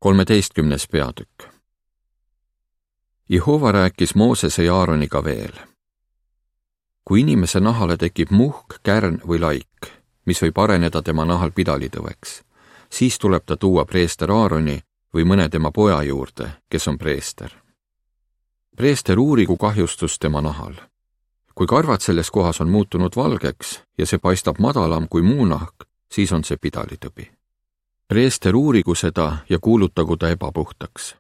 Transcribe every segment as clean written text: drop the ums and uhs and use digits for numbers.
13. peatükk. Jehova rääkis Moosese ja Aaroniga veel. Kui inimese nahale tekib muhk, kärn või laik, mis võib areneda tema nahal pidalitõveks, siis tuleb ta tuua preester Aaroni või mõne tema poja juurde, kes on preester. Preester uurigu kahjustus tema nahal. Kui karvad selles kohas on muutunud valgeks ja see paistab madalam kui muu nahk, siis on see pidalitõbi. Preester uurigu seda ja kuulutagu ta ebapuhtaks.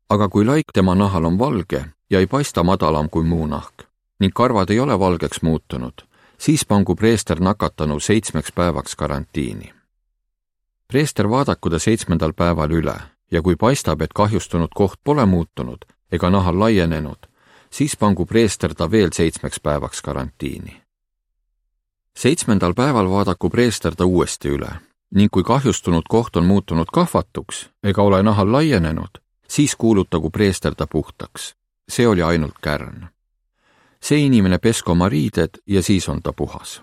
Aga kui laik tema nahal on valge ja ei paista madalam kui muu nahk ning karvad ei ole valgeks muutunud, siis pangu preester nakatanu 7 päevaks karantiini. Preester vaadaku ta 7. päeval üle ja kui paistab, et kahjustunud koht pole muutunud ega nahal laienenud, siis pangu preester ta veel 7 päevaks karantiini. 7. päeval vaadaku preester ta uuesti üle ning kui kahjustunud koht on muutunud kahvatuks ega ole nahal laienenud, siis kuulutagu preester ta puhtaks. See oli ainult kärn. See inimene pesku oma riided ja siis on ta puhas.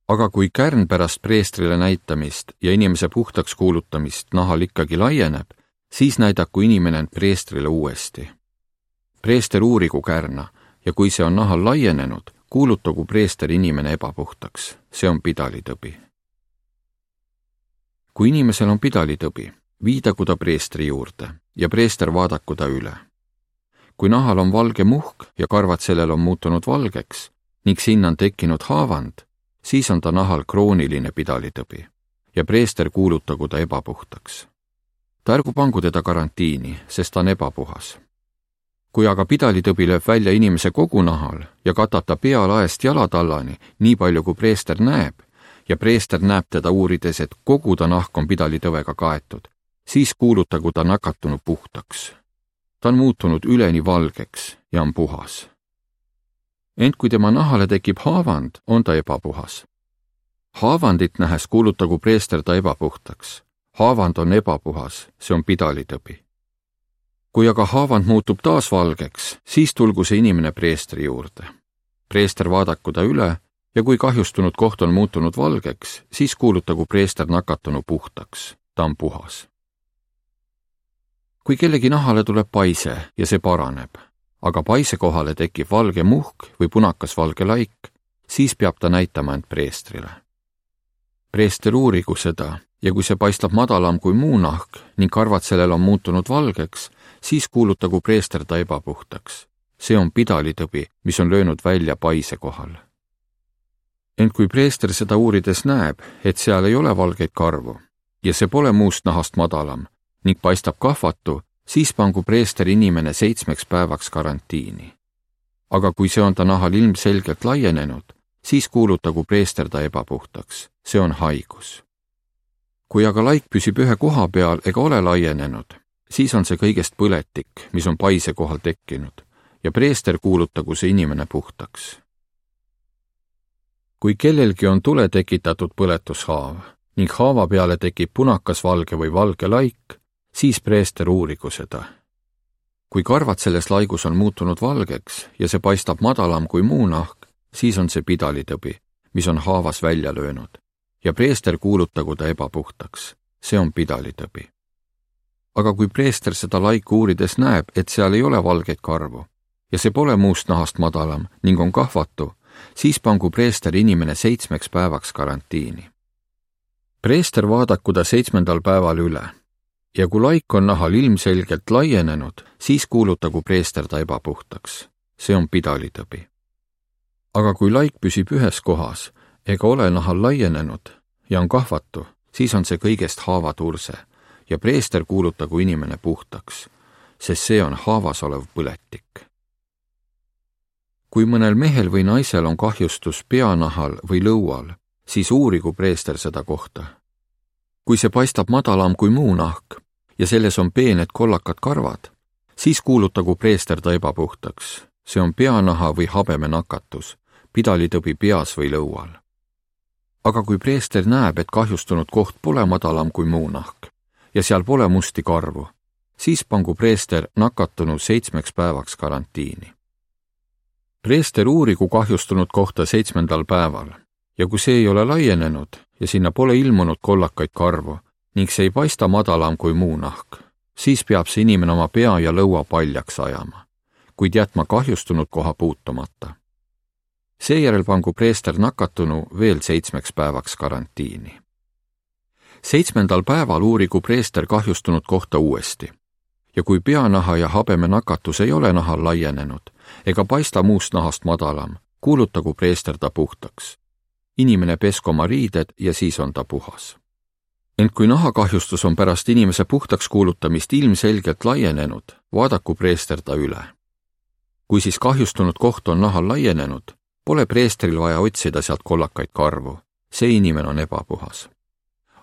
Aga kui kärn pärast preestrile näitamist ja inimese puhtaks kuulutamist nahal ikkagi laieneb, siis näidaku inimene end preestrile uuesti. Preester uurigu kärna ja kui see on nahal laienenud, kuulutagu preester inimene ebapuhtaks. See on pidalitõbi. Kui inimesel on pidalitõbi, viidagu ta preestri juurde ja preester vaadaku ta üle. Kui nahal on valge muhk ja karvad sellel on muutunud valgeks ning sinna on tekkinud haavand, siis on ta nahal krooniline pidalitõbi ja preester kuulutagu ta ebapuhtaks. Ta ärgu pangu teda karantiini, sest ta on ebapuhas. Kui aga pidalitõbi lööb välja inimese kogu nahal ja katab ta pea laest jalatallani, nii palju kui preester näeb, ja preester näeb teda uurides, et kogu ta nahk on pidalitõvega kaetud, siis kuulutagu ta nakatunu puhtaks. Ta on muutunud üleni valgeks ja on puhas. Ent kui tema nahale tekib haavand, on ta ebapuhas. Haavandit nähes kuulutagu preester ta ebapuhtaks. Haavand on ebapuhas, see on pidalitõbi. Kui aga haavand muutub taas valgeks, siis tulgu see inimene preestri juurde. Preester vaadaku ta üle ja kui kahjustunud koht on muutunud valgeks, siis kuulutagu preester nakatunu puhtaks. Ta on puhas. Kui kellegi nahale tuleb paise ja see paraneb, aga paise kohale tekib valge muhk või punakas valge laik, siis peab ta näitama end preestrile. Preester uurigu seda ja kui see paistab madalam kui muu nahk ning karvad sellel on muutunud valgeks, siis kuulutagu preester ta ebapuhtaks. See on pidalitõbi, mis on löönud välja paise kohal. Ent kui preester seda uurides näeb, et seal ei ole valgeid karvu ja see pole muust nahast madalam ning paistab kahvatu, siis pangu preester inimene 7 päevaks karantiini. Aga kui see on ta nahal ilmselgelt laienenud, siis kuulutagu preester ta ebapuhtaks. See on haigus. Kui aga laik püsib ühe koha peal ega ole laienenud, siis on see kõigest põletik, mis on paise kohal tekkinud ja preester kuulutagu see inimene puhtaks. Kui kellelgi on tule tekitatud põletushaav ning haava peale tekib punakas valge või valge laik, siis preester uurigu seda. Kui karvad selles laigus on muutunud valgeks ja see paistab madalam kui muu nahk, siis on see pidalitõbi, mis on haavas välja löönud ja preester kuulutagu ta ebapuhtaks. See on pidalitõbi. Aga kui preester seda laiku uurides näeb, et seal ei ole valgeid karvu ja see pole muust nahast madalam ning on kahvatu, siis pangu preester inimene 7 päevaks karantiini. Preester vaadaku ta 7. päeval üle ja kui laik on nahal ilmselgelt laienenud, siis kuulutagu preester ta ebapuhtaks. See on pidalitõbi. Aga kui laik püsib ühes kohas ega ole nahal laienenud ja on kahvatu, siis on see kõigest haavaturse ja preester kuulutagu inimene puhtaks, sest see on haavas olev põletik. Kui mõnel mehel või naisel on kahjustus peanahal või lõual, siis uurigu preester seda kohta. Kui see paistab madalam kui muu nahk ja selles on peened kollakad karvad, siis kuulutagu preester ta ebapuhtaks. See on peanaha või habeme nakatus, pidalitõbi peas või lõual. Aga kui preester näeb, et kahjustunud koht pole madalam kui muu nahk ja seal pole musti karvu, siis pangu preester nakatunu 7 päevaks karantiini. Preester uurigu kahjustunud kohta 7. päeval ja kui see ei ole laienenud ja sinna pole ilmunud kollakaid karvu, ning see ei paista madalam kui muu nahk, siis peab see inimene oma pea ja lõua paljaks ajama, kuid jätma kahjustunud koha puutumata. Seejärel pangu preester nakatunu veel 7 päevaks karantiini. 7. päeval uurigu preester kahjustunud kohta uuesti ja kui peanaha ja habeme nakatus ei ole nahal laienenud ega paista muust nahast madalam, kuulutagu preester ta puhtaks. Inimene pesku oma riided ja siis on ta puhas. Ent kui nahakahjustus on pärast inimese puhtaks kuulutamist ilmselgelt laienenud, vaadaku preester ta üle. Kui siis kahjustunud koht on nahal laienenud, pole preestril vaja otsida sealt kollakaid karvu, see inimene on ebapuhas.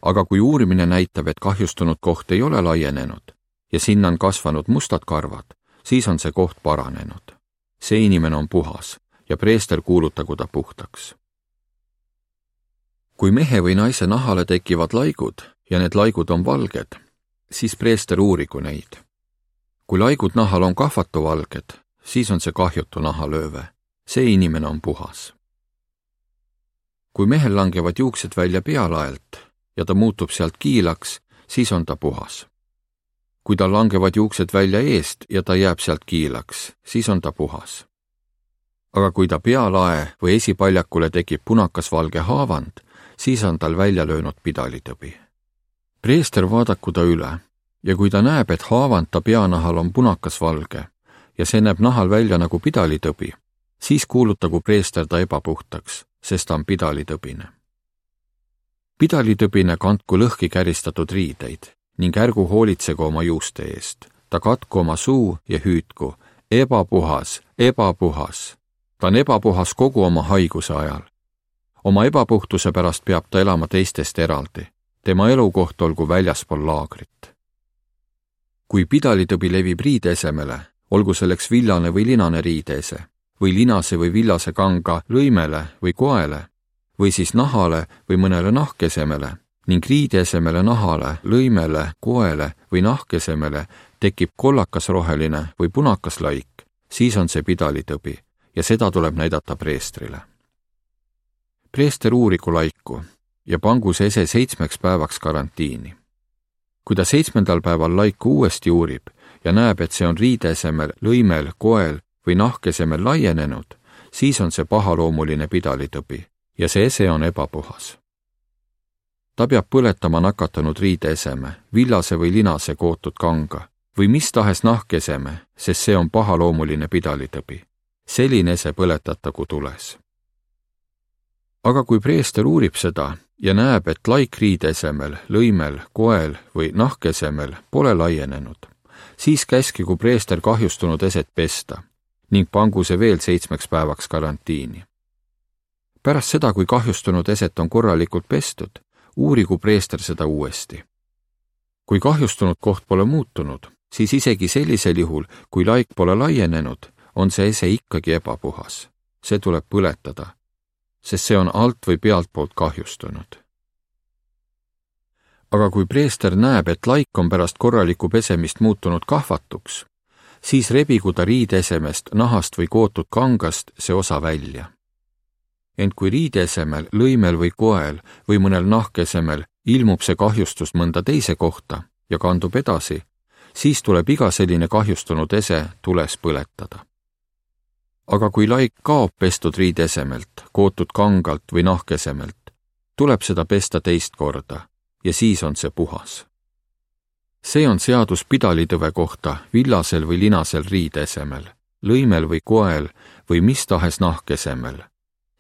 Aga kui uurimine näitab, et kahjustunud koht ei ole laienenud ja sinna on kasvanud mustad karvad, siis on see koht paranenud. See inimene on puhas ja preester kuulutagu ta puhtaks. Kui mehe või naise nahale tekivad laigud ja need laigud on valged, siis preester uurigu neid. Kui laigud nahal on kahvatuvalged, siis on see kahjutu nahalööve. See inimene on puhas. Kui mehel langevad juuksed välja pealaelt ja ta muutub sealt kiilaks, siis on ta puhas. Kui tal langevad juuksed välja eest ja ta jääb sealt kiilaks, siis on ta puhas. Aga kui ta pealae või esipaljakule tekib punakasvalge haavand, siis on tal välja löönud pidalitõbi. Preester vaadaku ta üle ja kui ta näeb, et haavand ta peanahal on punakasvalge ja see näeb nahal välja nagu pidalitõbi, siis kuulutagu preester ta ebapuhtaks, sest ta on pidalitõbine. Pidalitõbine kandku lõhki käristatud riideid ning ärgu hoolitsegu oma juuste eest. Ta katku oma suu ja hüüdku, ebapuhas, ebapuhas. Ta on ebapuhas kogu oma haiguse ajal. Oma ebapuhtuse pärast peab ta elama teistest eraldi. Tema elukoht olgu väljaspool laagrit. Kui pidalitõbi levib riideesemele, olgu selleks villane või linane riideese, või linase või villase kanga lõimele või koele, või siis nahale või mõnele nahkesemele, ning riideesemele nahale, lõimele, koele või nahkesemele tekib kollakasroheline või punakaslaik, siis on see pidalitõbi ja seda tuleb näidata preestrile. Preester uurigu laiku ja pangu see ese 7 päevaks karantiini. Kui ta 7. päeval laiku uuesti uurib ja näeb, et see on riideesemel, lõimel, koel või nahkesemel laienenud, siis on see pahaloomuline pidalitõbi ja see ese on ebapuhas. Ta peab põletama nakatanud riideeseme, villase või linase kootud kanga või mis tahes nahkeseme, sest see on pahaloomuline pidalitõbi. Selline ese põletatagu tules. Aga kui preester uurib seda ja näeb, et laik riideesemel, lõimel, koel või nahkesemel pole laienenud, siis käskigu preester kahjustunud eset pesta ning pangu see veel 7 päevaks karantiini. Pärast seda, kui kahjustunud eset on korralikult pestud, uurigu preester seda uuesti. Kui kahjustunud koht pole muutunud, siis isegi sellisel juhul, kui laik pole laienenud, on see ese ikkagi ebapuhas. See tuleb põletada, sest see on alt või pealtpoolt kahjustunud. Aga kui preester näeb, et laik on pärast korralikku pesemist muutunud kahvatuks, siis rebigu ta riideesemest, nahast või kootud kangast see osa välja. Ent kui riideesemel, lõimel või koel või mõnel nahkesemel ilmub see kahjustus mõnda teise kohta ja kandub edasi, siis tuleb iga selline kahjustunud ese tules põletada. Aga kui laik kaob pestud riideesemelt, kootud kangalt või nahkesemelt, tuleb seda pesta teist korda ja siis on see puhas. See on seadus pidalitõve kohta villasel või linasel riideesemel, lõimel või koel või mis tahes nahkesemel.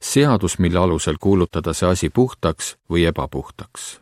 Seadus, mille alusel kuulutada see asi puhtaks või ebapuhtaks.